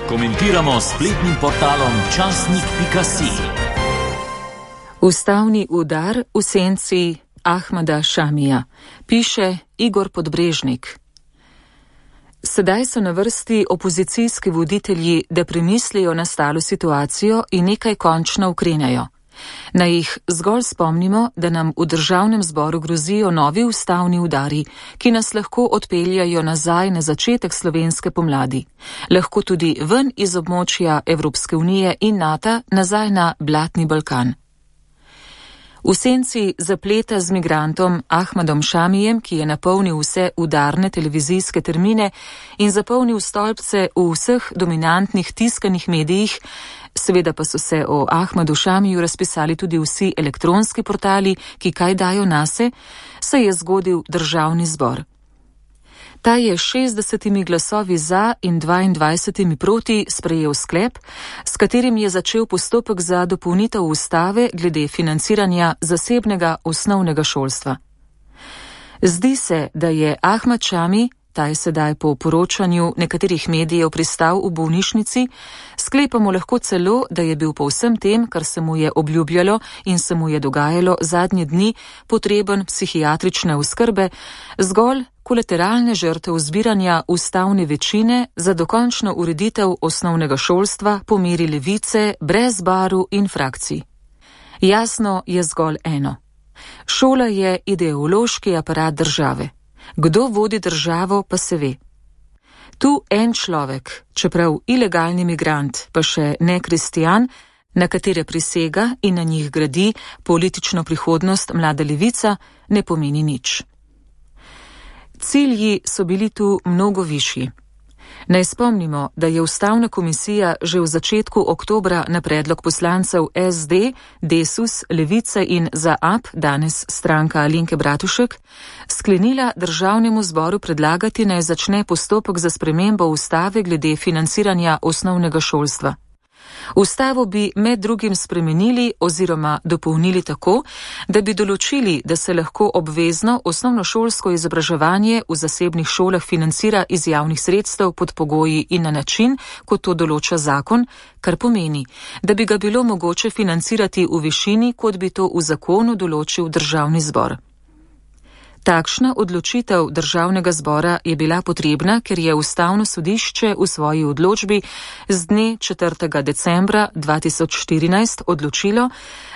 Komentiramo spletnim portalom časnik.si. Ustavni udar v senci Ahmada Šamija, piše Igor Podbrežnik. Sedaj so na vrsti opozicijski voditelji, da premislijo nastalo situacijo in nekaj končno ukrenejo. Naj jih zgolj spomnimo, da nam v državnem zboru grozijo novi ustavni udari, ki nas lahko odpeljajo nazaj na začetek slovenske pomladi. Lahko tudi ven iz območja Evropske unije in NATO nazaj na blatni Balkan. V senci zapleta z migrantom Ahmadom Šamijem, ki je napolnil vse udarne televizijske termine in zapolnil stolpce v vseh dominantnih tiskanih medijih, seveda pa so se o Ahmadu Šamiju razpisali tudi vsi elektronski portali, ki kaj dajo nase, se je zgodil državni zbor. Ta je 60 glasovi za in 22 proti sprejel sklep, s katerim je začel postopek za dopolnitev ustave glede financiranja zasebnega osnovnega šolstva. Zdi se, da je Ahmad Šami, ta je sedaj po poročanju nekaterih medijev pristal v bolnišnici, sklepamo lahko celo, da je bil po vsem tem, kar se mu je obljubljalo in se mu je dogajalo zadnje dni, potreben psihiatrične oskrbe, zgolj kolateralne žrtev zbiranja ustavne večine za dokončno ureditev osnovnega šolstva po meri levice, brez baru in frakcij. Jasno je zgolj eno. Šola je ideološki aparat države. Kdo vodi državo, pa se ve. Tu en človek, čeprav ilegalni migrant, pa še ne kristijan, na katere prisega in na njih gradi politično prihodnost mlada levica, ne pomeni nič. Cilji so bili tu mnogo višji. Naj spomnimo, da je Ustavna komisija že v začetku oktobra na predlog poslancev SD, Desus, Levice in ZAP, danes stranka Alenke Bratušek, sklenila državnemu zboru predlagati, naj začne postopek za spremembo ustave glede financiranja osnovnega šolstva. Ustavo bi med drugim spremenili oziroma dopolnili tako, da bi določili, da se lahko obvezno osnovnošolsko izobraževanje v zasebnih šolah financira iz javnih sredstev pod pogoji in na način, kot to določa zakon, kar pomeni, da bi ga bilo mogoče financirati v višini, kot bi to v zakonu določil državni zbor. Takšna odločitev državnega zbora je bila potrebna, ker je Ustavno sodišče v svoji odločbi z dne 4. decembra 2014 odločilo,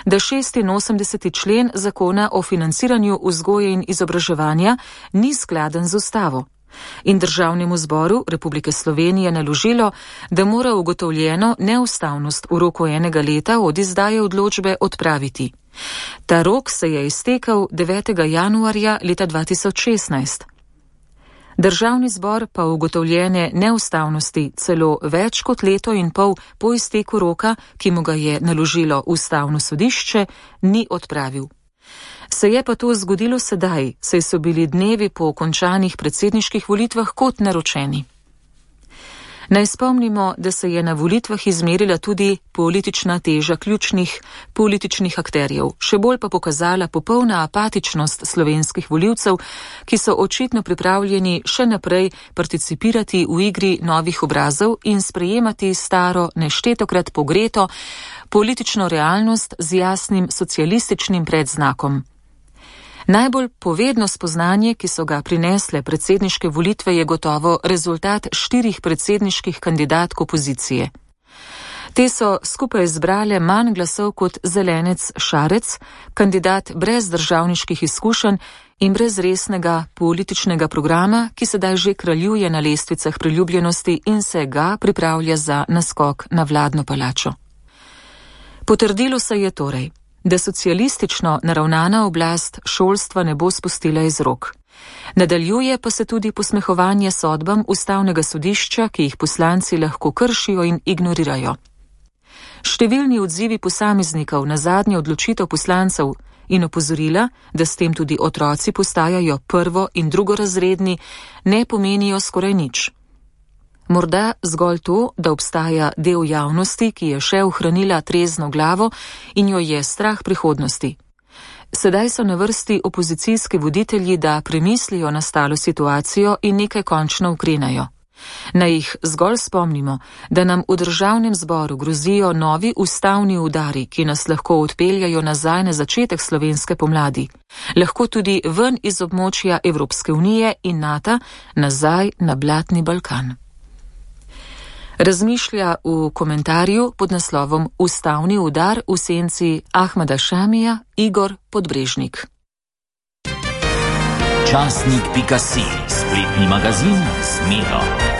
da 86. člen zakona o financiranju vzgoje in izobraževanja ni skladen z ustavo. In državnemu zboru Republike Slovenije naložilo, da mora ugotovljeno neustavnost v roku enega leta od izdaje odločbe odpraviti. Ta rok se je iztekel 9. januarja leta 2016. Državni zbor pa ugotovljene neustavnosti celo več kot leto in pol po izteku roka, ki mu ga je naložilo Ustavno sodišče, ni odpravil. Se je pa to zgodilo sedaj, saj so bili dnevi po končanih predsedniških volitvah kot naročeni. Naj spomnimo, da se je na volitvah izmerila tudi politična teža ključnih političnih akterjev, še bolj pa pokazala popolna apatičnost slovenskih volivcev, ki so očitno pripravljeni še naprej participirati v igri novih obrazov in sprejemati staro, neštetokrat pogreto politično realnost z jasnim socialističnim predznakom. Najbolj povedno spoznanje, ki so ga prinesle predsedniške volitve, je gotovo rezultat 4 predsedniških kandidatk opozicije. Te so skupaj zbrale manj glasov kot Zelenec Šarec, kandidat brez državniških izkušenj in brez resnega političnega programa, ki sedaj že kraljuje na lestvicah priljubljenosti in se ga pripravlja za naskok na vladno palačo. Potrdilo se je torej, da socialistično naravnana oblast šolstva ne bo spustila iz rok. Nadaljuje pa se tudi posmehovanje sodbam Ustavnega sodišča, ki jih poslanci lahko kršijo in ignorirajo. Številni odzivi posameznikov na zadnjo odločitev poslancev in opozorila, da s tem tudi otroci postajajo prvo- in drugorazredni, ne pomenijo skoraj nič. Morda zgolj to, da obstaja del javnosti, ki je še ohranila trezno glavo in jo je strah prihodnosti. Sedaj so na vrsti opozicijski voditelji, da premislijo nastalo situacijo in nekaj končno ukrenajo. Naj jih zgolj spomnimo, da nam v državnem zboru grozijo novi ustavni udari, ki nas lahko odpeljajo nazaj na začetek slovenske pomladi. Lahko tudi ven iz območja Evropske unije in NATO, nazaj na blatni Balkan. Razmišlja v komentarju pod naslovom Ustavni udar v senci Ahmeda Šamija Igor Podbrežnik. Časnik.si, spletni magazin z Miro.